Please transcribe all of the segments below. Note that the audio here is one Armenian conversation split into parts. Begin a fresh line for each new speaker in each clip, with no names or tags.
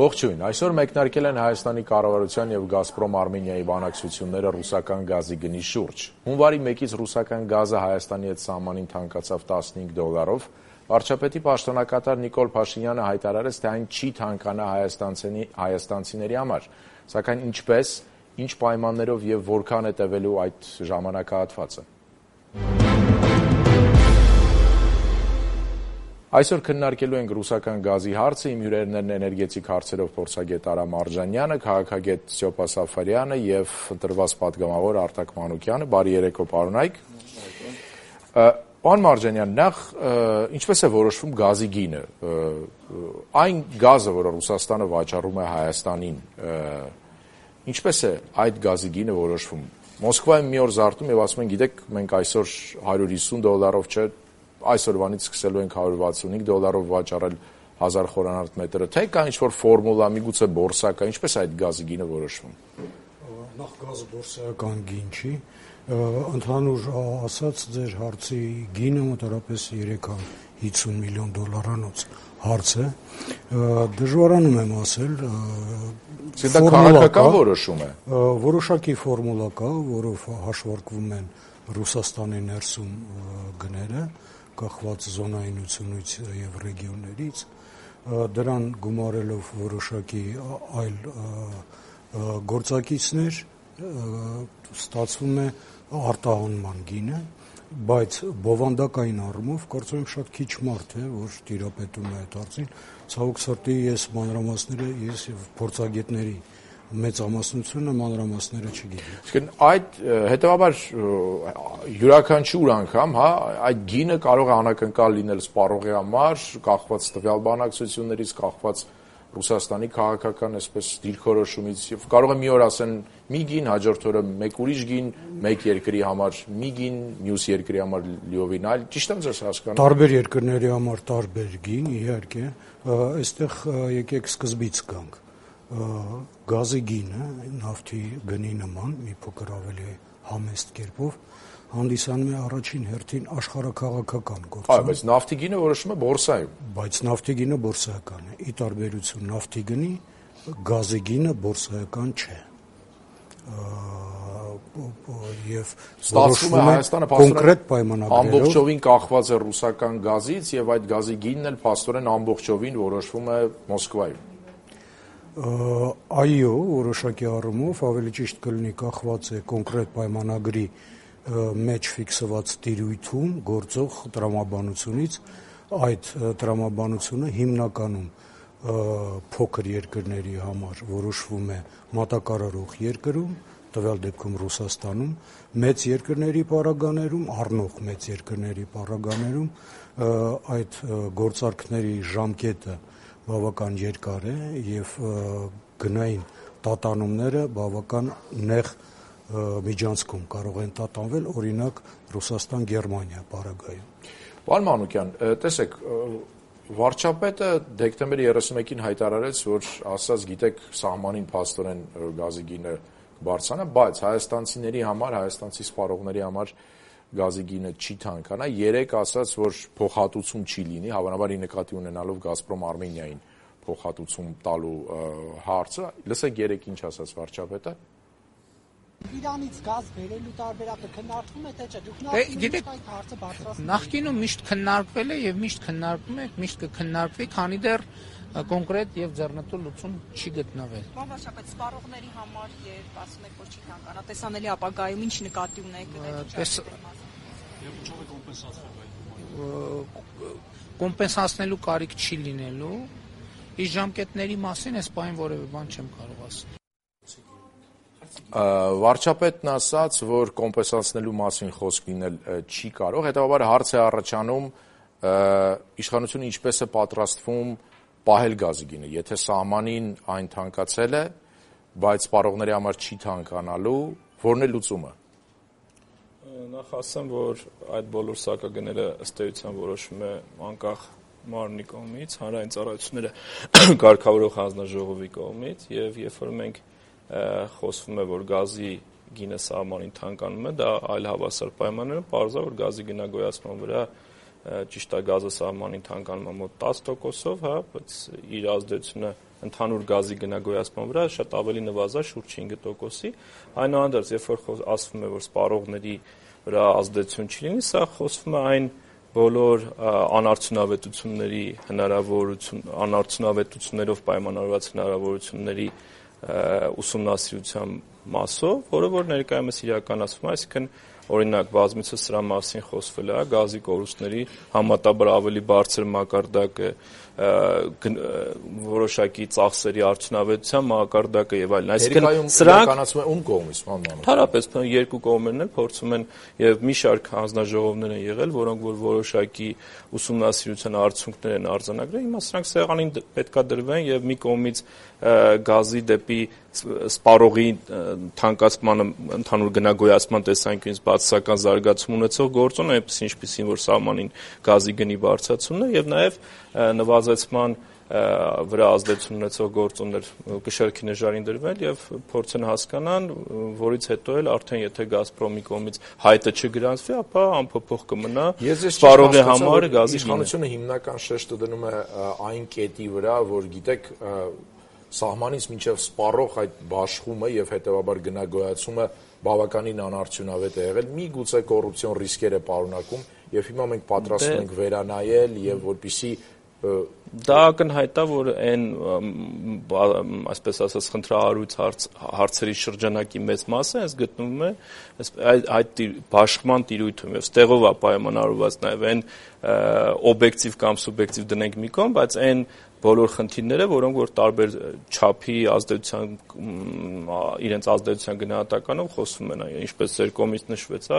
Ողջույն, այսօր մեկնարկել են Հայաստանի կառավարության եւ Գազպրոմ Արմենիայի բանակցությունները ռուսական գազի գնի շուրջ։ Հունվարի 1-ից ռուսական գազը Հայաստանի հետ սահմանին թանկացավ $15-ով։ Վարչապետի պաշտոնակատար Նիկոլ Փաշինյանը հայտարարեց, թե այն չի թանկանա հայաստանցիների համար, սակայն ինչպես, ինչ պայմաններով եւ որքան է տևելու այդ ժամանակահատվածը։ Այսօր քննարկելու ենք ռուսական գազի հարցը, իմ հյուրերն են էներգետիկ հարցերով փորձագետ Արա Մարժանյանը, քաղաքագետ Ստյոպա Սաֆարյանը եւ ընտրված պատգամավոր Արտակ Մանուկյանը։ Բարի երեկո, պարոնայք։ Պարոն Մարժանյան, նախ ինչպես է որոշվում գազի գինը։ Այն գազը, որը Ռուսաստանը վաճառում է Հայաստանին, ինչպես է այդ գազի գինը որոշվում։ Մոսկվայում մի օր զարթում եւ ասում են, գիտեք, մենք այսօր $150 չէ, այսօրվանից սկսելու ենք $165 վաճառել 1000 խորանարդ մետրը, թե կա ինչ-որ ֆորմուլա, միգուցե բորսա կա, ինչպես է այդ գազի գինը որոշվում։
Նախ գազը բորսայական գին չի, ընդհանուր ասած ձեր հարցի գինը մոտավորապես $350 միլիոն հարց է, դժվարանում եմ ասել,
դա քաղաքական որոշում է։
Որոշակի ֆորմուլա կա, որով հաշվարկվում են Ռուսաստանի ներսում գները, կախված զոնայնությունից եւ ռեգիոններից, դրան գումարելով որոշակի այլ գործակիցներ, ստացվում է արտահանման գինը, բայց բովանդակային առումով կարծում եմ շատ քիչ մարդ է, որ տիրապետում է այդ հարցին, ցավոք սրտի ես մանրամասները եւ փորձագետների մեծամասնությունը մանրամասները չգիտեմ։
Իսկ այդ հետեւաբար յուրաքանչյուր անգամ, այդ գինը կարող է անակնկալ լինել սպառողի համար, կախված տվյալ բանակցություններից, կախված Ռուսաստանի քաղաքական այսպես դիրքորոշումից, եւ կարող է մի օր ասեն մի գին, հաջորդ օրը մեկ ուրիշ գին, մեկ երկրի համար մի գին, մյուս երկրի համար լիովին այլ, ճիշտ եմ ձեզ հասկանում։
Տարբեր երկրների համար տարբեր գին, իհարկե, այստեղ եկեք սկզբից գանք։ Գազի գինը նավթի գնի նման մի փոքր ավելի համեստ կերպով հանդիսանում է առաջին հերթին աշխարհաքաղաքական գործոն։
Բայց նավթի գինը որոշվում է բորսայում։
Բայց նավթի գինը բորսայական է։ Ի տարբերություն նավթի գնի, գազի գինը բորսայական չէ։ Եվ
ստացվում է Հայաստանը
կոնկրետ պայմանագրերով
ամբողջովին կախված է ռուսական գազից եւ այդ գազի գինն էլ փաստորեն ամբողջովին որոշվում է Մոսկվայում։
Այո, որոշակի առումով ավելի ճիշտ կլինի կախված է կոնկրետ պայմանագրի մեջ ֆիքսված տիրույթում գործող տրամաբանությունից, այդ տրամաբանությունը հիմնականում փոքր երկրների համար որոշվում է մատակարարող երկրում, տվյալ դեպքում Ռուսաստանում, մեծ երկրների պարագաներում, առնող մեծ երկրների պարագաներում այդ գործարքների ժամկետը բավական երկար է եւ գնային տատանումները բավական նեղ միջանցքում կարող են տատանվել, օրինակ Ռուսաստան-Գերմանիա պարագայում։
Պարոն Մանուկյան, տեսեք, վարչապետը դեկտեմբերի 31-ին հայտարարեց, որ ասած գիտեք սահմանին փաստորեն գազի գինը կբարձրանա, բայց հայաստանցիների համար, հայաստանցի սպառողների համար գազի գինը չի թանկանա, երեք ասաց, որ փոխհատուցում չի լինի, հավանաբար նկատի ունենալով Գազպրոմ Արմենիային փոխհատուցում տալու հարցը, լսեք երեք ինչ ասաց վարչապետը։
Իրանից գազ բերելու տարբերակը քննարկվում է թե չէ։ Դուք այդ հարցը բարձրացնում եք։
Նախկինում միշտ քննարկվել է եւ միշտ քննարկում եք, միշտ կքննարկվի, քանի դեռ կոնկրետ եւ ձեռնտու լուծում չի գտնվել։
Պարոն վարչապետ, սպառողների համար երբ ասում եք, որ չի թանկանա, տեսանելի ապագայում ինչ նկատի ունեք
կոմպենսացնելու կարիք չի լինելու։ Իսկ ժամկետների մասին այս պահին որևէ բան չեմ կարող ասել։
Վարչապետն ասաց, որ կոմպենսացնելու մասին խոսք լինել չի կարող, հետևաբար հարց է առաջանում իշխանությունը ինչպես է պատրաստվում պահել գազի գինը, եթե սահմանին այն թանկացել է, բայց սպառողների համար չի թանկանալու, որն է լուծումը։
Նախ ասեմ, որ այդ բոլոր սակագները ըստ էության որոշվում է անկախ մարմնի կողմից, հանրային ծառայությունները կարգավորող հանձնաժողովի կողմից, եւ երբ որ մենք խոսվում է, որ գազի գինը սահմանին թանկանում է, դա այլ հավասար պայմաններում պարզ է, որ գազի գնագոյացման վրա ճիշտ է գազը սահմանին թանկանում է մոտ 10%-ով, բայց իր ազդեցությունը ընդհանուր գազի գնագոյացման վրա շատ ավելի նվազած, շուրջ 5%-ի։ Այնուհանդերձ, երբ որ ասվում է, որ սպառողների վրա ազդեցություն չի լինի, սա խոսվում է այն բոլոր անարդյունավետություններով պայմանավորված հնարավորությունների ուսումնասիրության մասով, որը որ ներկայումս իրականացվում է, այսինքն օրինակ բազմիցս սրա մասին խոսվել է, գազի կորուստների համատաբար ավելի բարձր մակարդակը, որոշակի ծախսերի արդյունավետության մակարդակը եւ այլն։
Այսինքն սրանք կանացում է ում կողմից,
Հարաբերս երկու կողմերն են փորձում են եւ մի շարք հանձնաժողովներ են եղել, որոնք որ որոշակի ուսումնասիրության արդյունքներ են արձանագրել, հիմա սրանք սեղանին պետքա դրվեն եւ մի կողմից գազի դեպի սպառողի թանկացման ընդհանուր գնագոյացման տեսանկյունից բացասական զարգացում ունեցող գործոն, այնպես ինչպիսին որ սահմանին գազի գնի բարձրացումն է եւ նաեւ նվազեցման վրա ազդեցություն ունեցող գործոններ կշեռքի նժարին դրվել եւ փորձեն հասկանան, որից հետո էլ արդեն եթե Գազպրոմի կողմից հայտը չգրանցվի, ապա անփոփոխ կմնա սպառողի համար գազի
իշխանությունը հիմնական շեշտը դնում է այն կետի վրա, որ գիտեք սահմանից մինչև սպառող այդ բաշխումը եւ հետեւաբար գնագոյացումը բավականին անարդյունավետ է եղել, միգուցե կոռուպցիոն ռիսկեր է պարունակում եւ հիմա մենք պատրաստվում ենք վերանայել եւ որպեսզի
դա ակնհայտ է, որ այն այսպես ասած խնդրահարույց հարցերի շրջանակի մեծ մասը այս գտնվում է այդ բաշխման տիրույթում եւ ստեղով է պայմանավորված նաեւ այն օբյեկտիվ կամ սուբյեկտիվ դնենք մի կողմ, բայց այն բոլոր խնդիրները, որոնք որ տարբեր չափի ազդեցության իրենց ազդեցության գնահատականով խոսվում են, ինչպես ձեր կողմից նշվեց,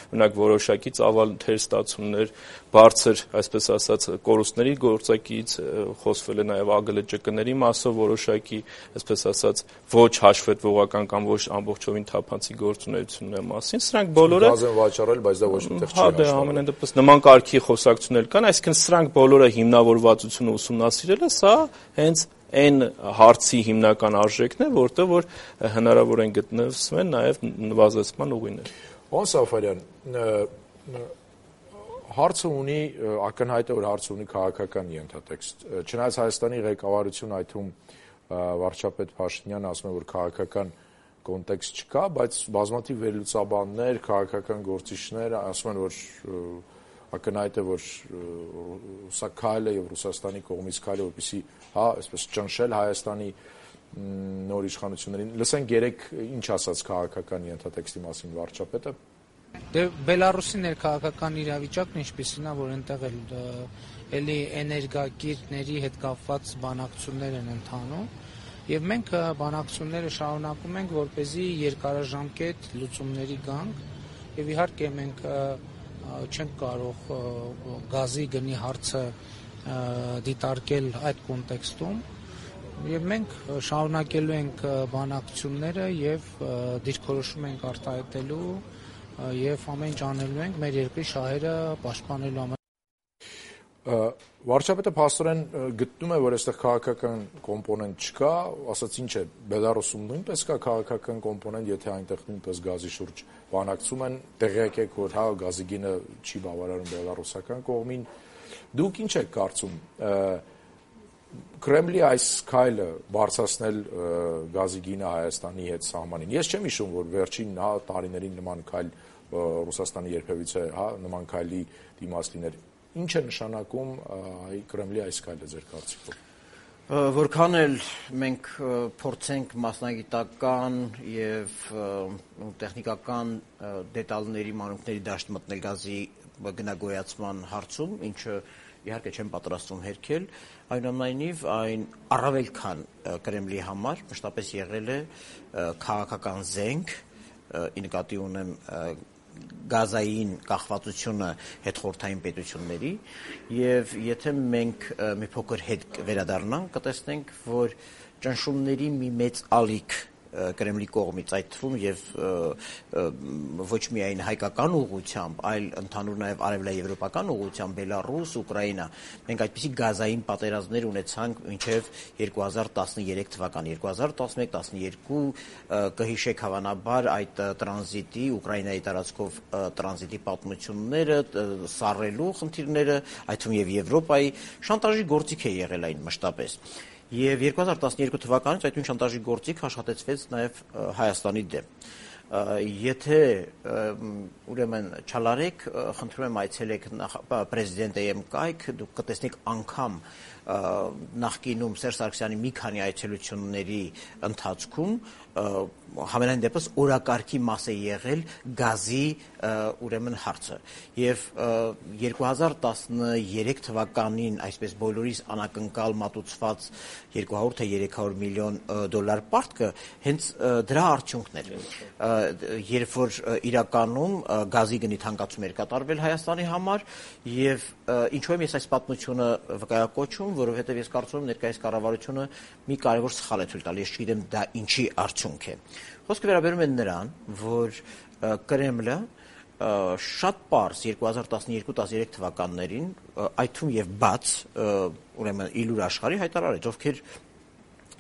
օրինակ որոշակի ծավալ թերստացումներ, բարձր, այսպես ասած, կորուստների գործակից խոսվել է նաև ԱԳԼՃԿ-ների մասով որոշակի, այսպես ասած, ոչ հաշվետվողական կամ ոչ ամբողջովին թափանցիկ գործունեությունների մասին, սրանք բոլորը
գազ են վաճառել, բայց դա ոչ միտեղ չի
հաշվվել։ Հա, ամենայն դեպս նման կարգի խոսակցություններ կան, այսինքն սրանք բոլորը հիմնավորվածությունը ուսումնասիրելը սա հենց այն հարցի հիմնական արժեքն է, որտեղ որ հնարավոր են գտնվեն նաև նվազեցման ուղիներ։
Պարոն Սաֆարյան, հարցը ունի ակնհայտ է, որ հարցը ունի քաղաքական ենթատեքստ։ Չնայած Հայաստանի ղեկավարությունը այդ թվում վարչապետ Փաշինյանը ասում է, որ քաղաքական կոնտեքստ չկա, բայց բազմաթիվ վերլուծաբաններ, քաղաքական գործիչներ ասում են, որ ակնհայտ է, որ սա քայլ է եւ Ռուսաստանի կողմից քայլ է, որպեսզի այսպես ճնշել Հայաստանի նոր իշխանություններին։ Լսենք երեք ինչ ասաց քաղաքական ենթատեքստի մասին վարչապետը։
Դե Բելարուսի ներքաղաքական իրավիճակն ինչպիսին է, որ այնտեղ էլի էներգակիրների հետ կապված բանակցություններ են ընթանում եւ մենք բանակցությունները շարունակում ենք, որպեսզի երկարաժամկետ լուծումների գանք եւ իհարկե մենք չենք կարող գազի գնի հարցը դիտարկել այդ կոնտեքստում եւ մենք շարունակելու ենք բանակցությունները եւ դիրքորոշում ենք արտահայտելու եւ ամեն ինչ անելու ենք մեր երկրի շահերը պաշտպանելու համար։
Վարչապետը փաստորեն գտնում է, որ այստեղ քաղաքական կոմպոնենտ չկա, ասած ինչ է, Բելարուսում նույնպես կա քաղաքական կոմպոնենտ, եթե այնտեղ նույնպես գազի շուրջ բանակցում են, տեղյակ եք, որ գազի գինը չի բավարարում բելարուսական կողմին։ Դուք ինչ եք կարծում, Կրեմլի այս քայլը բարձրացնել գազի գինը Հայաստանի հետ սահմանին։ Ես չեմ հիշում, որ վերջին տարիներին նման քայլ Ռուսաստանի երբևիցե նման քայլի դիմաց լիներ։ Ինչ է նշանակում Կրեմլի այս քայլը ձեր կարծիքով։
Որքան էլ մենք փորձենք մասնագիտական եւ տեխնիկական դետալների մանրուքների դաշտ մտնել գազի գնագոյացման հարցում, ինչը իհարկե չեմ պատրաստվում հերքել, այնուամենայնիվ այն առավել քան Կրեմլի համար մշտապես եղել է քաղաքական զենք, ի նկատի ունեմ գազային կախվածությունը հետխորհրդային պետությունների եւ եթե մենք մի փոքր հետ վերադառնանք, կտեսնենք, որ ճնշումների մի մեծ ալիք Կրեմլի կողմից, այդ թվում եւ ոչ միայն հայկական ուղղությամբ, այլ ընդհանուր նաեւ արևելաեվրոպական ուղղությամբ, Բելարուս, Ուկրաինա, մենք այդպիսի գազային պատերազմներ ունեցանք մինչեւ 2013 թվականը, 2011-12 կհիշեք հավանաբար այդ տրանզիտի, Ուկրաինայի տարածքով տրանզիտի պատմությունները, սառելու խնդիրները, այդ թվում եւ Եվրոպայի շանտաժի գործիք է եղել այն մշտապես։ Եվ 2012 թվականից այդ նույն շանտաժի գործիք աշխատեցվեց նաև Հայաստանի դեմ։ Եթե ուրեմն չալարեք, խնդրում եմ այցելեք պրեզիդենտը եմ կայք, դուք կտեսնեք անգամ նախկինում Սերժ Սարգսյանի մի քանի այցելությունների ընթացքում համենայն դեպս օրակարգի մաս է եղել գազի ուրեմն հարցը եւ 2013 թվականին այսպես բոլորիս անակնկալ մատուցված 200 թե 300 միլիոն դոլար պարտքը հենց դրա արդյունքն էր, երբ որ իրականում գազի գնի թանկացում էր կատարվել Հայաստանի համար եւ ինչու եմ ես այս պատմությունը վկայակոչում, որովհետեւ ես կարծում եմ ներկայիս կառավարությունը մի կարևոր սխալ է ցույց տալի, ես չգիտեմ դա ինչի արդյունք է։ Խոսքը վերաբերում է նրան, որ Կրեմլը շատ պարզ 2012-13 թվականներին այդ թվում եւ բաց ուրեմն իլուր աշխարհի հայտարարեց, ովքեր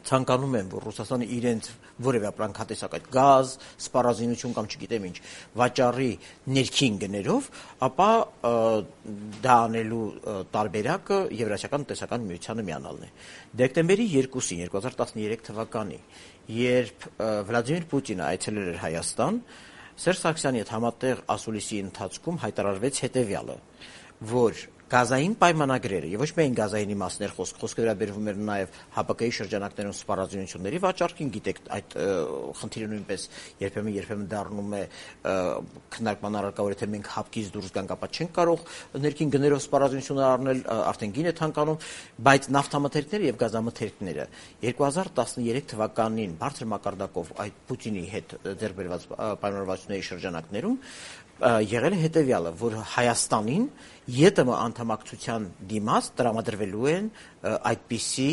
ցանկանում են, որ Ռուսաստանը իրենց որևէ ապրանքատեսակ այդ գազ, սպառազինություն կամ չգիտեմ ինչ վաճառի ներքին գներով, ապա դա անելու տարբերակը Եվրասիական տնտեսական միությանը միանալն է։ Դեկտեմբերի 2-ին 2013 թվականի, երբ Վլադիմիր Պուտինը այցելել էր Հայաստան, Սերժ Սարգսյանի հետ համատեղ ասուլիսի ընթացքում հայտարարվեց հետևյալը, որ գազային պայմանագրերը եւ ոչ միայն գազայինի մասներ խոսքը վերաբերվում էր նաեւ ՀԱՊԿ-ի շրջանակներում սպառազինությունների վաճառքին, գիտեք, այդ խնդիրը նույնպես երբեմն դառնում է քննարկման առարկա, որ եթե մենք ՀԱՊԿ-ից դուրս գանք, ապա չենք կարող ներքին գներով սպառազինություններ առնել, արդեն գին է թանկանում, բայց նավթամթերքները եւ գազամթերքները 2013 թվականին բարձր մակարդակով այդ Պուտինի հետ ձեռք բերված պայմանավորվածությունների շրջանակներում եղել է հետևյալը, որ Հայաստանին ԵՏՄ անդամակցության դիմաց տրամադրվելու են այդպիսի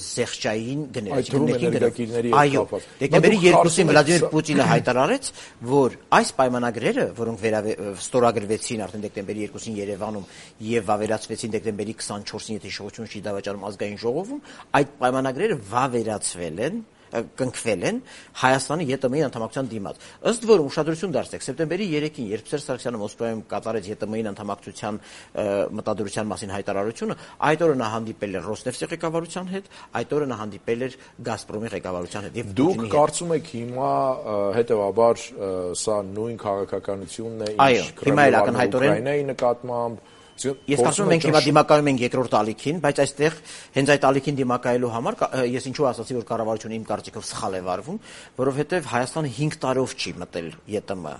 զեղչային գներ։ Այո, դեկտեմբերի 2-ին Վլադիմիր Պուտինը հայտարարեց, որ այս պայմանագրերը, որոնք ստորագրվեցին արդեն դեկտեմբերի 2-ին Երևանում եւ վավերացվեցին դեկտեմբերի 24-ին, եթե հիշողություն չի դավաճանում ազգային ժողովում, այդ պայմանագրերը վավերացվել են կնքվել են Հայաստանի ԵՏՄ-ի անդամակցության դիմաց։ Ըստ որում ուշադրություն դարձրեք, սեպտեմբերի 3-ին, երբ Սերժ Սարգսյանը Մոսկվայում կատարեց ԵՏՄ-ի անդամակցության մտադրության մասին հայտարարությունը, այդ օրը նա հանդիպել էր Ռոսնեֆտի ղեկավարության հետ, այդ օրը նա հանդիպել էր Գազպրոմի ղեկավարության հետ։
Դուք կարծում եք հիմա հետեւաբար սա նույն քաղաքականությունն է, ինչ Ուկրաինայի նկատմամբ։
Ես կարծում եմ մենք հիմա դիմակայում ենք երկրորդ ալիքին, բայց այստեղ հենց այդ ալիքին դիմակայելու համար ես ինչու ասացի, որ կառավարությունը իմ կարծիքով սխալ է վարվում, որովհետև Հայաստանը 5 տարով չի մտել ԵՏՄ։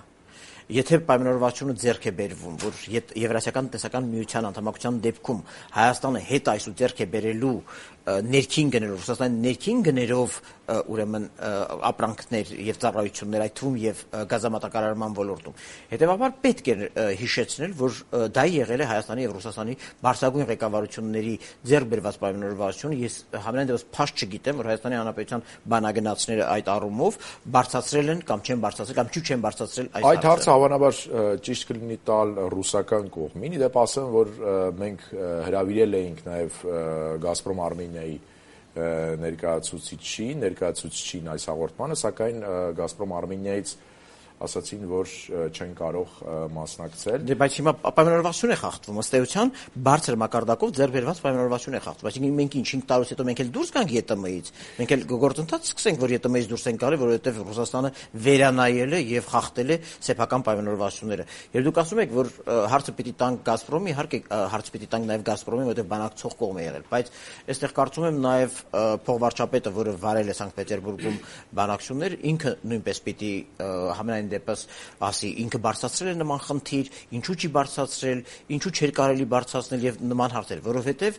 Եթե պայմանավորվածությունը ձեռք է բերվում, որ Եվրասիական տնտեսական միության անդամակցության դեպքում Հայաստանը հետ այսու ձեռք է բերելու ներքին գներով, Ռուսաստանի ներքին գներով ուրեմն ապրանքներ եւ ծառայություններ, այդ թվում եւ գազամատակարարման ոլորտում։ Հետեւաբար պետք է հիշեցնել, որ դա եղել է Հայաստանի եւ Ռուսաստանի բարձրագույն ղեկավարությունների ձեռք բերված պայմանավորվածությունը։ Ես համենայն դեպս փաստ չգիտեմ, որ Հայաստանի Հանրապետության բանագնացները այդ առումով բարձրացրել են կամ չեն բարձրացրել կամ չեն բարձրացրել այս
այդ հարցը հավանաբար ճիշտ կլինի տալ ռուսական կողմին։ Իդեպ ասեմ, որ մենք հրավիրել էինք նաեւ Գազպրոմ Արմենիայի ներկայացուցիչին այս հաղորդմանը, սակայն Գազպրոմ Արմենիայից ասացին, որ չեն կարող մասնակցել։
Դե բայց հիմա պայմանավորվածություն է խախտվում, ըստ էության բարձր մակարդակով ձեռք բերված պայմանավորվածություն է խախտվում։ Այսինքն մենք ինչ 5 տարուց հետո մենք էլ դուրս գանք ԵՏՄ-ից, մենք էլ գործընթաց սկսենք, որ ԵՏՄ-ից դուրս ենք գալի, որովհետև Ռուսաստանը վերանայել է եւ խախտել է սեփական պայմանավորվածությունները։ Եվ դուք ասում եք, որ հարցը պիտի տանք Գազպրոմի, իհարկե հարցը պիտի տանք նաեւ Գազպրոմի, որովհետև բանակցող կողմ է եղել, բայց այստեղ կարծում եմ նաեւ փոխվարչապետը, որը վարել է Սանկտ Պետերբուրգում բանակցություններ, ինքը նույնպես պիտի համենայն դեպս ասի, ինքը բարձրացրել է նման խնդիր, ինչու չի բարձրացրել, ինչու չէր կարելի բարձրացնել եւ նման հարցեր, որովհետեւ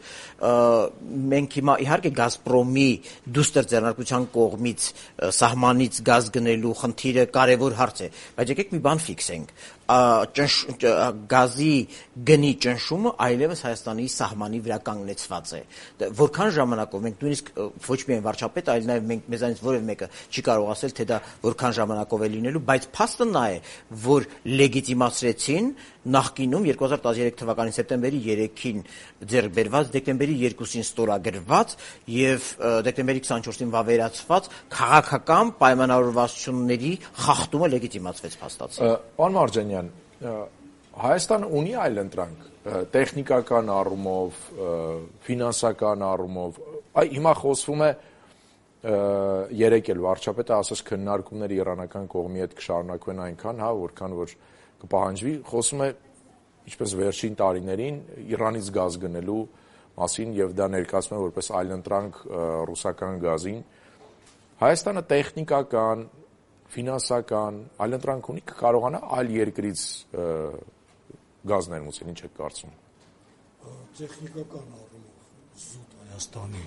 մենք հիմա իհարկե Գազպրոմի դուստր ձեռնարկության կողմից սահմանից գազ գնելու խնդիրը կարևոր հարց է, բայց եկեք մի բան ֆիքսենք, գազի գնի ճնշումը այլևս Հայաստանի սահմանի վրա կանգնեցված է։ Որքան ժամանակով մենք նույնիսկ ոչ միայն վարչապետը, այլ նաև մենք մեզանից որևէ մեկը չի կարող ասել, թե դա որքան ժամանակով է լինելու, բայց փաստը նա է, որ լեգիտիմացրեցին նախկինում 2013 թվականի սեպտեմբերի 3-ին ձեռք բերված, դեկտեմբերի 2-ին ստորագրված եւ դեկտեմբերի 24-ին վավերացված քաղաքական պայմանավորվածությունների խախտումը լեգիտիմացվեց փաստացի։
Պարոն Մարջանյան, Հայաստանը ունի այլ ընտրանք տեխնիկական առումով, ֆինանսական առումով, Այ հիմա խոսվում է երեք էլ վարչապետը ասաց քննարկումները իրանական կողմի հետ կշարունակվեն այնքան, որքան որ կպահանջվի, խոսում է ինչպես վերջին տարիներին Իրանից գազ գնելու մասին եւ դա ներկայացնում է որպես այլընտրանք ռուսական գազին։ Հայաստանը տեխնիկական, ֆինանսական այլընտրանք ունի, կկարողանա այլ երկրից գազ ներմուծել, ինչ եք կարծում։
Տեխնիկական առումով զուտ Հայաստանի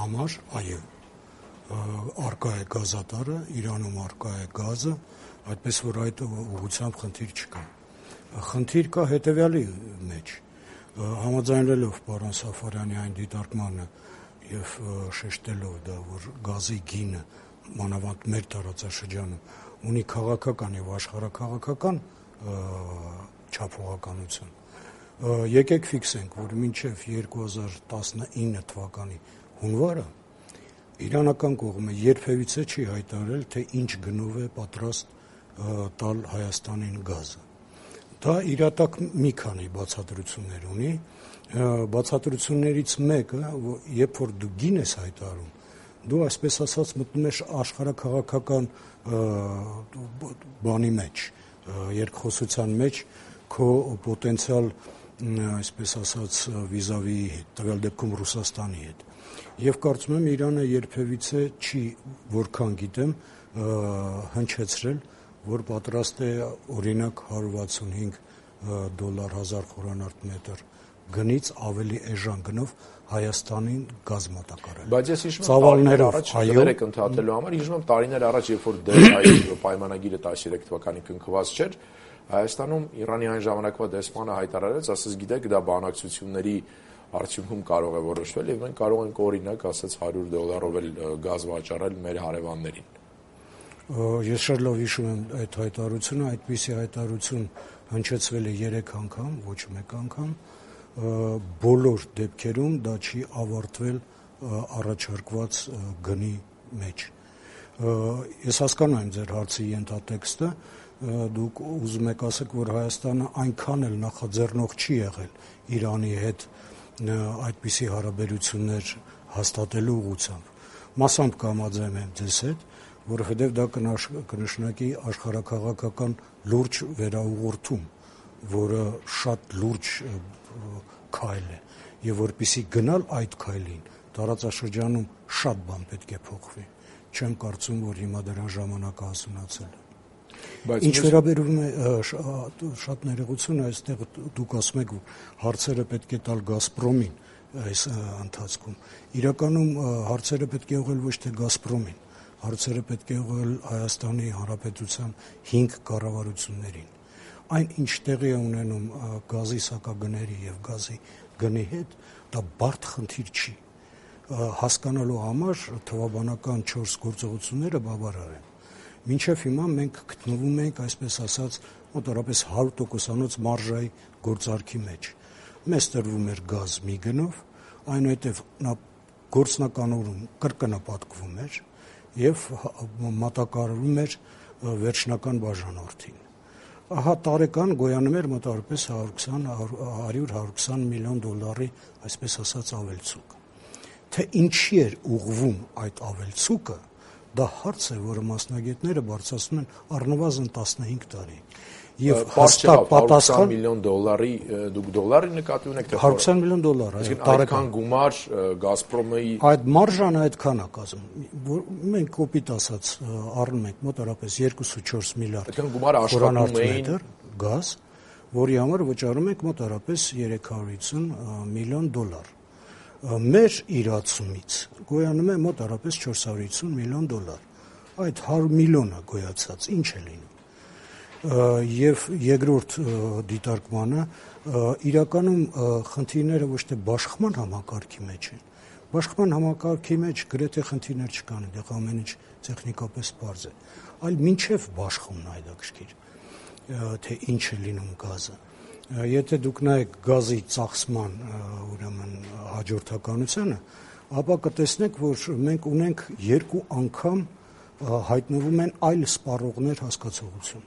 համար, այո, արկա է գազատարը, Իրանում արկա է գազը, այդպես որ այդ ուղղությամբ խնդիր չկա։ Խնդիր կա հետևյալի մեջ, համաձայնելով պարոն Սաֆարյանի այն դիտարկմանը եւ շեշտելով դա, որ գազի գինը մանավանդ մեր տարածաշրջանում ունի քաղաքական եւ աշխարհաքաղաքական չափողականություն։ Եկեք ֆիքսենք, որ մինչև 2019 թվականի հունվարը իրանական կողմը երբևիցե չի հայտարարել, թե ինչ գնով է պատրաստ տալ Հայաստանին գազը։ Դա իրատակ մի քանի բացատրություններ ունի։ Բացատրություններից մեկը, երբ որ դու գին ես հայտարարում, դու այսպես ասած մտնում ես աշխարհաքաղաքական բանի մեջ, երկխոսության մեջ քո պոտենցիալ, այսպես ասած, վիզավի հետ, տվյալ դեպքում Ռուսաստանի հետ։ Եվ կարծում եմ Իրանը երբևիցե չի, որքան գիտեմ, հնչեցրել, որ պատրաստ է օրինակ $165 1000 խորանարդ մետր գնից ավելի էժան գնով Հայաստանին գազ մատակարարել։
Բայց ես հիշում եմ տարիներ առաջ դերեք ընդհատելու համար, հիշում եմ տարիներ առաջ, երբ որ դեր պայմանագիրը 13 թվականին կնքված չէր, Հայաստանում Իրանի այն ժամանակվա դեսպանը հայտարարեց, ասես գիտեք, դա բանակցությունների արդյունքում կարող է որոշվել եւ մենք կարող ենք օրինակ ասած $100 էլ գազ վաճառել մեր հարևաններին։
Ես շատ լավ հիշում եմ այդ հայտարարությունը, այդպիսի հայտարարություն հնչեցվել է 3 անգամ, ոչ մեկ անգամ, բոլոր դեպքերում դա չի ավարտվել առաջարկված գնի մեջ։ Ես հասկանում եմ ձեր հարցի ենթատեքստը, դուք ուզում եք ասեք, որ Հայաստանը այնքան էլ նախաձեռնող չի եղել Իրանի հետ այդպիսի հարաբերություններ հաստատելու ուղղությամբ։ Մասամբ կհամաձայնեմ եմ ձեզ հետ, որովհետև դա կնշանակի աշխարհաքաղաքական լուրջ վերաուղղորդում, որը շատ լուրջ քայլ է, եւ որպեսզի գնալ այդ քայլին, տարածաշրջանում շատ բան պետք է փոխվի։ Չեմ կարծում, որ հիմա դրան ժամանակը հասունացել է։ Ինչ վերաբերում է շատ ներողություն, այստեղ դուք ասում եք, որ հարցերը պետք է տալ Գազպրոմին այս ընթացքում։ Իրականում հարցերը պետք է ուղղել ոչ թե Գազպրոմին, հարցերը պետք է ուղղել Հայաստանի Հանրապետության 5 կառավարություններին։ Այն ինչ տեղի է ունենում գազի սակագների եւ գազի գնի հետ, դա բարդ խնդիր չի։ Հասկանալու համար թվաբանական 4 գործողությունները բավարար են։ Մինչև հիմա մենք գտնվում ենք, այսպես ասած, մոտավորապես 100%-անոց մարժայի գործարքի մեջ։ Մեզ տրվում էր գազ մի գնով, այնուհետև նա գործնականորում կրկնապատկվում էր եւ մատակարարվում էր վերջնական բաժանորդին։ Ահա տարեկան գոյանում էր մոտավորապես $100-120 միլիոն, այսպես ասած, ավելցուկ։ Թե ինչի էր ուղղվում այդ ավելցուկը, դա հարց է, որը մասնագետները բարձրացնում են առնվազն 15 տարի։ Եվ հաստատ պատասխան
$120 միլիոն դուք դոլարի նկատի ունեք, թե
$120 միլիոն,
այսինքն տարեկան գումար Գազպրոմի
այդ մարժանը այդքան է կազմում, որ մենք կոպիտ ասած առնում ենք մոտավորապես 2-4 միլիարդ
այդքան գումարը աշխատում էին
գազ, որի համար վճարում ենք մոտավորապես $350 միլիոն։ Մեր իրացումից գոյանում է մոտավորապես $450 միլիոն։ Այդ 100 միլիոնը գոյացած ինչ է լինում։ Եվ երկրորդ դիտարկմանը իրականում խնդիրները ոչ թե բաշխման համակարգի մեջ են։ Բաշխման համակարգի մեջ գրեթե խնդիրներ չկան, այդտեղ ամեն ինչ տեխնիկապես պարզ է, այլ մինչև բաշխումն այդակշիռ, թե ինչ է լինում գազը։ Եթե դուք նայեք գազի ծախսման ուրեմն հաջորդականությունը, ապա կտեսնեք, որ մենք ունենք 2 անգամ հայտնվում են այլ սպառողներ հասկացողություն։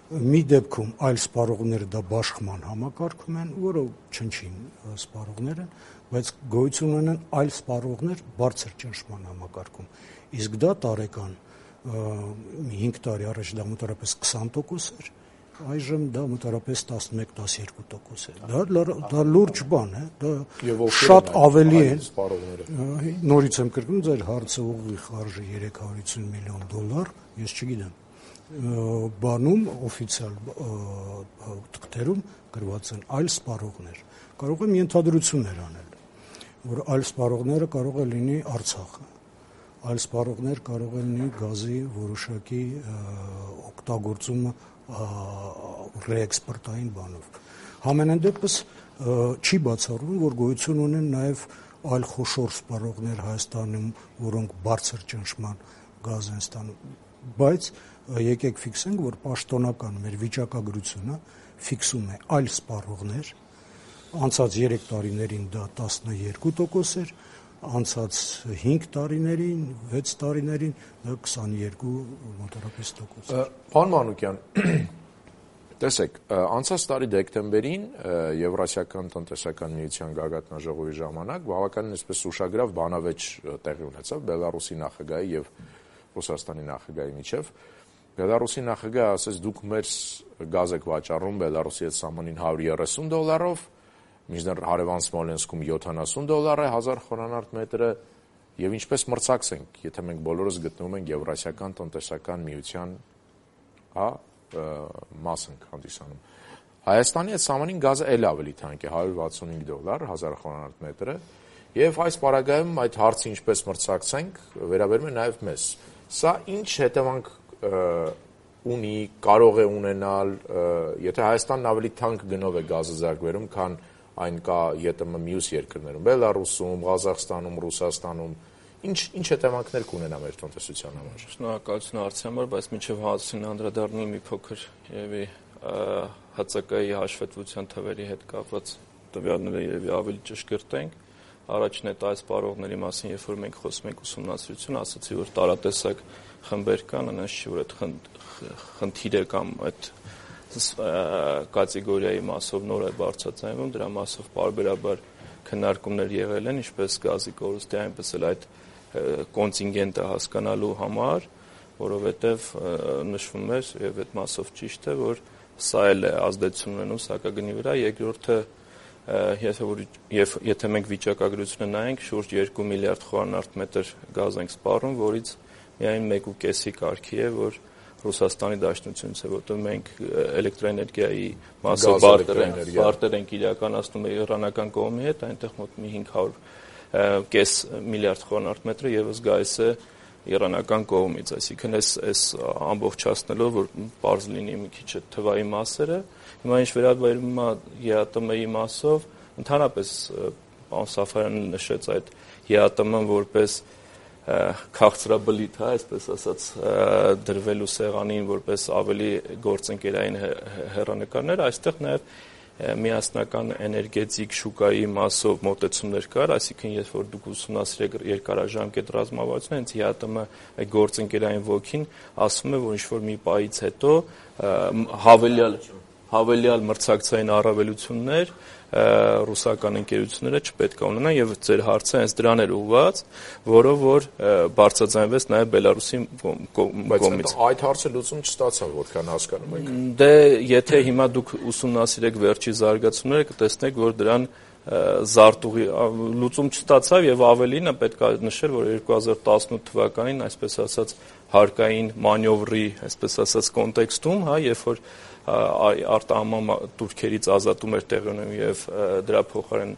մի դեպքում այլ սպառողները դա բաշխման համակարգում են, որը չնչին սպառողներ են, բայց գոյություն ունեն այլ սպառողներ բարձր ճնշման համակարգում։ Իսկ դա տարեկան 5 տարի առաջ դա մոտավորապես 20% էր, այժմ դա մոտավորապես 11-12% է։ Դա լուրջ բան է, դա շատ ավելի է սպառողները։ Նորից եմ կրկնում, ձեր հարցը ուղիղ արժի $350 միլիոն, ես չգիտեմ։ Բանում օֆիցիալ թղթերում գրված են այլ սպառողներ։ Կարող եմ ենթադրություններ անել, որ այլ սպառողները կարող է լինի Արցախը, այլ սպառողներ կարող են լինի գազի որոշակի օգտագործումը ռեէքսպորտային բանով։ Համենայն դեպս չի բացառվում, որ գոյություն ունեն նաև այլ խոշոր սպառողներ Հայաստանում, որոնք բարձր ճնշման գազ են ստանում, բայց եկեք ֆիքսենք, որ պաշտոնական մեր վիճակագրությունը ֆիքսում է այլ սպառողներ, անցած 3 տարիներին դա 12% էր, անցած 5 տարիներին, 6 տարիներին դա 22 մոտավորապես տոկոս։
Պարոն Մանուկյան, տեսեք, անցած տարի դեկտեմբերին Եվրասիական տնտեսական միության գագաթնաժողովի ժամանակ բավականին այսպես ուշագրավ բանավեճ տեղի ունեցավ Բելարուսի նախագահի եւ Ռուսաստանի նախագահի միջև։ Բելարուսի նախագահը ասաց, դուք մեր գազ եք վաճառում Բելարուսի հետ սահմանին $130, մինչդեռ հարևան Սմոլենսկում $70 է 1000 խորանարդ մետրը, եւ ինչպես մրցակցենք, եթե մենք բոլորս գտնվում ենք Եվրասիական տնտեսական միության մաս ենք հանդիսանում։ Հայաստանի հետ սահմանին գազը էլ ավելի թանկ է, $165 1000 խորանարդ մետրը, եւ այս պարագայում այդ հարցը ինչպես մրցակցենք, վերաբերում է նաեւ մեզ։ Սա ինչ հետևանք ունի, կարող է ունենալ, եթե Հայաստանն ավելի թանկ գնով է գազը ձեռք քան այն կա ԵՏՄ մյուս երկրներում, Բելարուսում, Ղազախստանում, Ռուսաստանում, ինչ հետևանքներ կունենա մեր տնտեսության համար։
Շնորհակալություն հարցի համար, բայց մինչև հարցին անդրադառնալու մի փոքր երևի ՀՑԿ-ի հաշվետվության թվերի հետ կապված տվյալները երևի ավելի ճշգրտ ենք։ Առաջին այդ այս սպառողների մասին, երբ որ մենք խոսում ենք ուսումնասիրություն, ասացի, որ տարատեսակ խմբեր կան, այնպես չի, որ այդ խնդիրը կամ այդ կատեգորիայի մասով նոր է բարձրացնում, դրա մասով պարբերաբար քննարկումներ եղել են, ինչպես գազի կորուստի, այնպես էլ այդ կոնտինգենտը հասկանալու համար, որովհետև նշվում էր եւ այդ մասով ճիշտ է, որ սա էլ է ազդեցություն ունենում սակագնի վրա, երկրորդը եթե մենք վիճակագրությունը նայենք, շուրջ 2 միլիարդ խորանարդ մետր գազ ենք սպառում, որից միայն 1.5-ի կարգի է, որ Ռուսաստանի Դաշնությունից է, որտեղ մենք էլեկտրոէներգիայի մասով բարտեր ենք իրականացնում իրանական կողմի հետ, այնտեղ մոտ մի 500 միլիարդ խորանարդ մետրը եւս գայս է իրանական կողմից, այսինքն այս ամբողջացնելով, որ պարզ լինի մի քիչ թվայի մասերը, հիմա ինչ վերաբերում է ԵԱՏՄ-ի մասով, ընդհանրապես պարոն Սաֆարյանը նշեց այդ ԵԱՏՄ-ն որպես քաղցրաբլիթ, այսպես ասած, դրվելու սեղանին որպես ավելի գործընկերային հեռանկարներ, այստեղ նաև միասնական էներգետիկ շուկայի մասով մոտեցումներ կար, այսինքն երբ որ դուք ուսումնասիրեք երկարաժամկետ ռազմավարությունը, հենց ԵԱՏՄ այդ գործընկերային ոգին ասում է, որ ինչ-որ մի պահից հետո հավելյալ մրցակցային առավելություններ ռուսական ընկերությունները չպետք է ունենան եւ ձեր հարցը հենց դրան էր ուղղված, որով որ բարձրաձայնվեց նաեւ Բելարուսի կողմից։
Բայց այդ հարցը լուծում չստացավ, որքան հասկանում ենք։
Դե եթե հիմա դուք ուսումնասիրեք վերջի զարգացումները, կտեսնեք, որ դրան զարտուղի լուծում չստացավ եւ ավելինը պետք է նշել, որ 2018 թվականին, այսպես ասած, հարկային մանևրի, այսպես ասած, կոնտեքստում, երբ որ արտահանման տուրքերից ազատում էր տեղի ունենում եւ դրա փոխարեն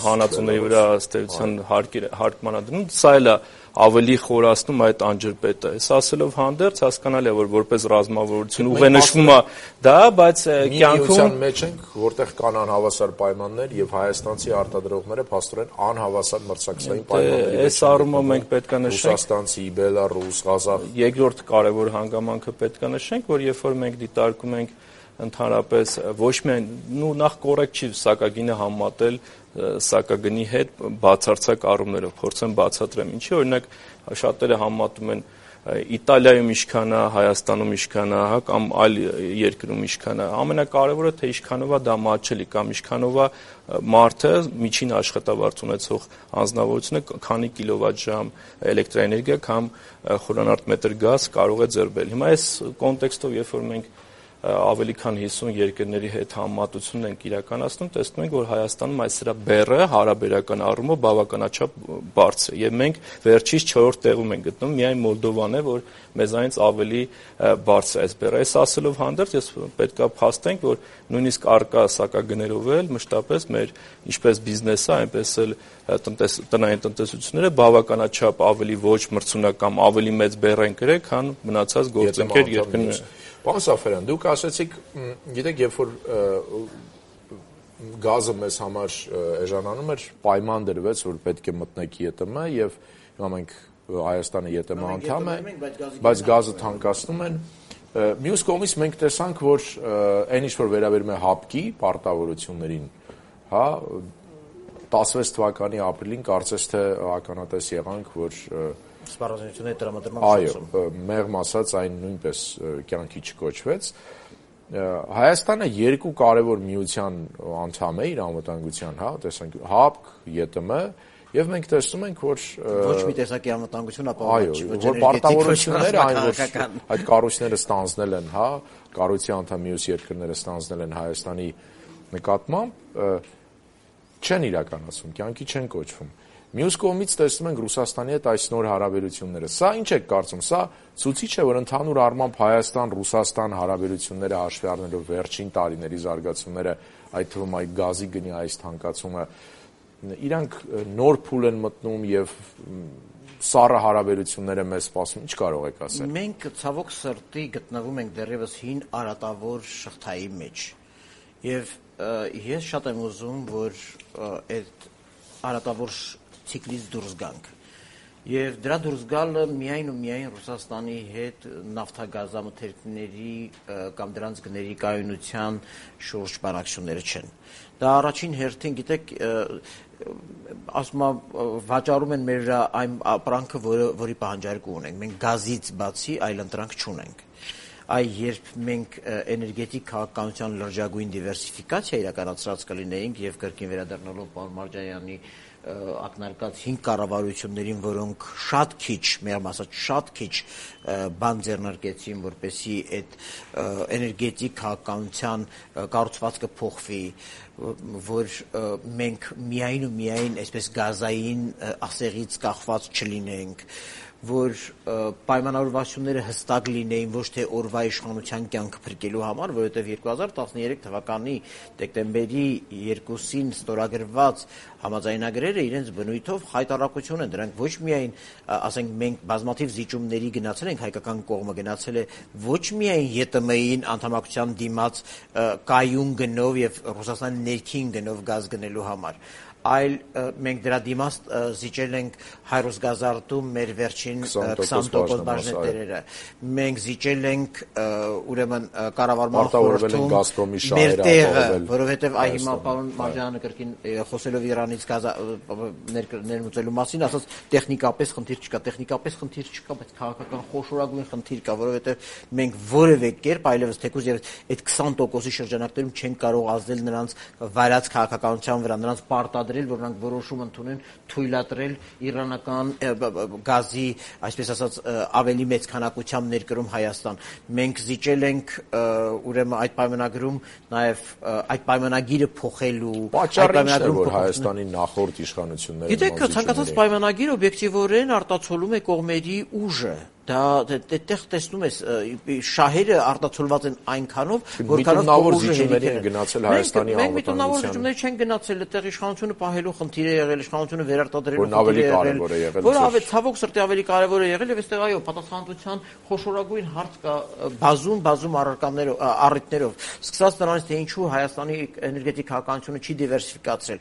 հանածուների վրա ստեղծության հարկմանադրում, սա էլ է ավելի խորացնում այդ անջրպետը։ Այս ասելով հանդերձ հասկանալի է, որ որպես ռազմավարություն ուղենշվում է դա, բայց
կյանքում մեջ ենք, որտեղ կան անհավասար պայմաններ եւ հայաստանցի արտադրողները փաստորեն անհավասար մրցակցային պայմանների մեջ։
Այս առումով մենք պետք է նշենք
Ռուսաստանցի, Բելարուս, Ղազախ։
Երկրորդ կարևոր հանգամանքը պետք է նշենք, որ երբ որ մենք դիտարկում ենք ընդհանրապես ոչ միայն նախ կոռեկտ չի սակագինը համատել սակագնի հետ բացարձակ առումներով, փորձեմ բացատրեմ ինչի, օրինակ շատերը համատում են Իտալիայում ինչքան է, Հայաստանում ինչքան է, հա, կամ այլ երկրում ինչքան է։ Ամենակարևորը թե ինչքանով է դա մատչելի կամ ինչքանով է մարդը միջին աշխատավարձ ունեցող անձնավորությունը քանի կիլովատ-ժամ էլեկտրաէներգիա կամ խորանարդ մետր գազ կարող է ձեռբել։ Հիմա այս կոնտեքստով, երբ որ մենք ավելի քան 50 երկրների հետ համեմատություն ենք իրականացնում, տեսնում ենք, որ Հայաստանում այս սրա բեռը հարաբերական առումով բավականաչափ բարձր է եւ մենք վերջից 4-րդ տեղում ենք գտնվում, միայն Մոլդովան է, որ մեզանից ավելի բարձր է այս բեռը։ Այս ասելով հանդերձ ես պետքա փաստենք, որ նույնիսկ արկա սակագներով էլ մշտապես մեր ինչպես բիզնեսը, այնպես էլ տնային տնտեսությունները բավականաչափ ավելի ոչ մրցունակ կամ ավելի մեծ բեռ են գրել, քան մնացած գործընկեր երկրները։
Պարոն Սաֆարյան, դուք ասացիք, գիտեք, երբ որ գազը մեզ համար էժանանում էր, պայման դրվեց, որ պետք է մտնեք ԵՏՄ եւ հիմա մենք Հայաստանը ԵՏՄ անդամ է, բայց գազը թանկացնում են։ Մյուս կողմից մենք տեսանք, որ այն ինչ որ վերաբերում է հապկի պարտավորություններին, հա, 16 թվականի ապրիլին կարծես թե ականատես եղանք, որ
սպառազինությունների տրամադրման
այո, մեղմ ասած այն նույնպես կյանքի չկոչվեց։ Հայաստանը երկու կարևոր միության անդամ է իր անվտանգության, հա, տեսանք ՀԱՊԿ, ԵՏՄ, եւ մենք տեսնում ենք, որ
ոչ մի տեսակի անվտանգություն ապահոված չի,
որ պարտավորությունները այն որ այդ կառույցները ստանձնել են, հա, կառույցի անդամ մյուս երկրները ստանձնել են Հայաստանի նկատմամբ, չեն իրականացում, կյանքի չեն կոչվում։ Մյուս կողմից տեսնում ենք Ռուսաստանի հետ այս նոր հարաբերությունները։ Սա ինչ է կարծում, սա ցույց է, որ ընդհանուր առմամբ Հայաստան-Ռուսաստան հարաբերությունները հաշվի առնելով վերջին տարիների զարգացումները, այդ թվում այդ գազի գնի այս թանկացումը, իրանք նոր փուլ են մտնում եւ սառը հարաբերությունները մեզ սպասում, ինչ կարող եք ասել։
Մենք ցավոք սրտի գտնվում ենք դեռևս հին արատավոր շղթայի մեջ։ Եվ ես շատ եմ ուզում, որ այդ արատավոր ցիկլից դուրս գանք։ Եվ դրա դուրս գալը միայն ու միայն Ռուսաստանի հետ նավթագազամթերքների կամ դրանց գների կայունության շուրջ բանակցությունները չեն։ Դա առաջին հերթին, գիտեք, ասում վաճառում են մեր այն ապրանքը, որի պահանջարկը ունենք։ Մենք գազից բացի այլ ընտրանք չունենք։ Երբ մենք էներգետիկ քաղաքականության լրջագույն դիվերսիֆիկացիա իրականացրած կլինեինք եւ կրկին վերադառնալով պարոն Մարջանյանի ակնարկած 5 կառավարություններին, որոնք շատ քիչ, մեր ասած շատ քիչ բան ձեռնարկեցին, որպեսզի այդ էներգետիկ քաղաքականության կառուցվածքը փոխվի, որ մենք միայն ու միայն այսպես գազային ասեղից կախված չլինենք, որ պայմանավորվածությունները հստակ լինեին ոչ թե օրվա իշխանության կյանքը փրկելու համար, որովհետև 2013 թվականի դեկտեմբերի 2-ին ստորագրված համաձայնագրերը իրենց բնույթով խայտառակություն են, դրանք ոչ միայն, ասենք, մենք բազմաթիվ զիջումների գնացել ենք, հայկական կողմը գնացել է ոչ միայն ԵՏՄ-ին անդամակցության դիմաց կայուն գնով եւ Ռուսաստանի ներքին գնով գազ գնելու համար, այլ մենք դրա դիմաց զիջել ենք Հայրոսգազարտում մեր վերջին 20% բաժնետերերը։ Մենք զիջել ենք ուրեմն կառավարման խորհրդում մեր տեղը, որովհետև հիմա պարոն Մարջյանը կրկին խոսելով Իրանից ներմուծելու մասին ասաց տեխնիկապես խնդիր չկա, բայց քաղաքական խոշորագույն խնդիր կա, որովհետև մենք որևէ կերպ այլևս թեկուզ եւ այդ 20%-ի շրջանակներում չենք կարող ազդել նրանց վարած քաղաքականության վրա, նրանց պարտադրել, որ նրանք որոշում ընդունեն թույլատրել իրանական գազի, այսպես ասած, ավելի մեծ քանակությամբ ներկրում Հայաստան։ Մենք զիջել ենք ուրեմն այդ պայմանագրում նաև այդ պայմանագիրը փոխելու,
այդ պայմանագրում որ Հայաստանի նախորդ իշխանությունները։
Գիտեք, ցանկացած պայմանագիր օբյեկտիվորեն արտացոլում է կողմերի ուժը։ Դա այդտեղ տեսնում ես շահերը արտացոլված են այնքանով,
որքանով ուժերը գնացել Հայաստանի
անվտանգության։ Մենք միտումնավոր զիջումներ չեն գնացել, այդտեղ իշխանությունը պահելու խնդիր է եղել, իշխանությունը վերարտադրելու խնդիր է եղել, որը ավելի ցավոք սրտի ավելի կարևոր է եղել եւ այստեղ այո, պատասխանատվության խոշորագույն հարց կա բազում առիթներով։ Սկսած նրանից թե ինչու Հայաստանի էներգետիկ քաղաքականությունը չի դիվերսիֆիկացրել։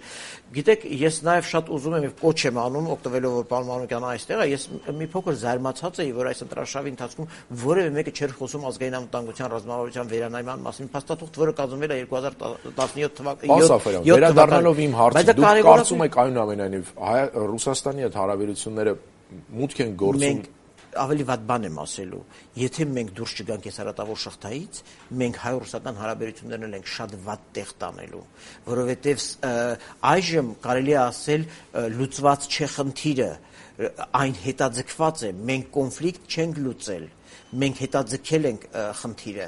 Գիտեք, ես նաեւ շատ ուզում եմ եւ կոչ եմ անում, օգտվելով որ պարոն Մանուկյանը այստեղ է, ես մի փոքր զարմացած էի, որ այս ընտրաշավի ընթացքում որևէ մեկը չէր խոսում ազգային անվտանգության ռազմավարության վերանայման մասին, փաստաթուղթ, որը կազմվել է 2017 թվականին։
Վերադառնալով իմ հարցը, դուք կարծում եք այնուամենայնիվ Ռուսաստանի հետ հարաբերությունները մուտք են գործում
ավելի վատ բան եմ ասելու, եթե մենք դուրս չգանք այս հարատավոր շղթայից, մենք հայ-ռուսական հարաբերություններն էլ ենք շատ վատ տեղ տանելու, որովհետև այժմ կարելի է ասել լուծված չէ խնդիրը, այն հետաձգված է, մենք կոնֆլիկտ չենք լուծել, մենք հետաձգել ենք խնդիրը,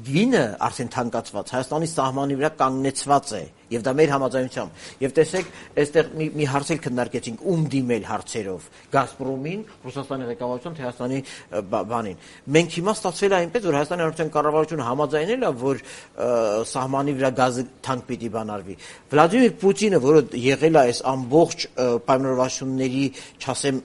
գինը արդեն թանկացված, Հայաստանի սահմանի վրա կանգնեցված է, եւ դա մեր համաձայնությամբ։ Եվ տեսեք, այստեղ մի հարց էլ քննարկեցինք, ում դիմել հարցերով, Գազպրոմին, Ռուսաստանի ղեկավարության, թե Հայաստանի բանին։ Մենք հիմա ստացվել է այնպես, որ Հայաստանի Հանրապետության կառավարությունը համաձայնել է, որ սահմանի վրա գազը թանկ պիտի բանարվի։ Վլադիմիր Պուտինը, որը եղել է այս ամբողջ պայմանավորվածությունների, չասեմ,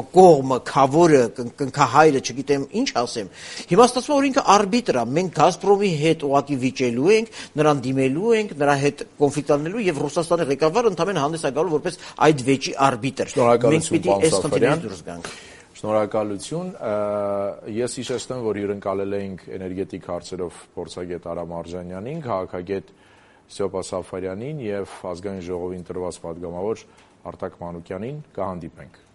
կողմը, քավորը, կնքահայրը, չգիտեմ ինչ ասեմ, հիմա ստացվում է, որ ինքը արբիտր է, մենք Գազպրոմի հետ ուղղակի վիճելու ենք, նրան դիմելու ենք, նրա հետ կոնֆլիկտ անելու եւ Ռուսաստանի ղեկավարը ընդամենը հանդես է գալու որպես այդ վեճի արբիտր։ Մենք պիտի այս խնդիրից դուրս գանք։
Շնորհակալություն։ Ես հիշեցնեմ, որ հյուրընկալել էինք էներգետիկ հարցերով փորձագետ Արամ Արժանյանին, քաղաքագետ Ստեփան Սաֆարյանին եւ ազգային ժողովի ընտրված պատգամավոր Արտակ Մանուկյանին։ Կհանդիպենք։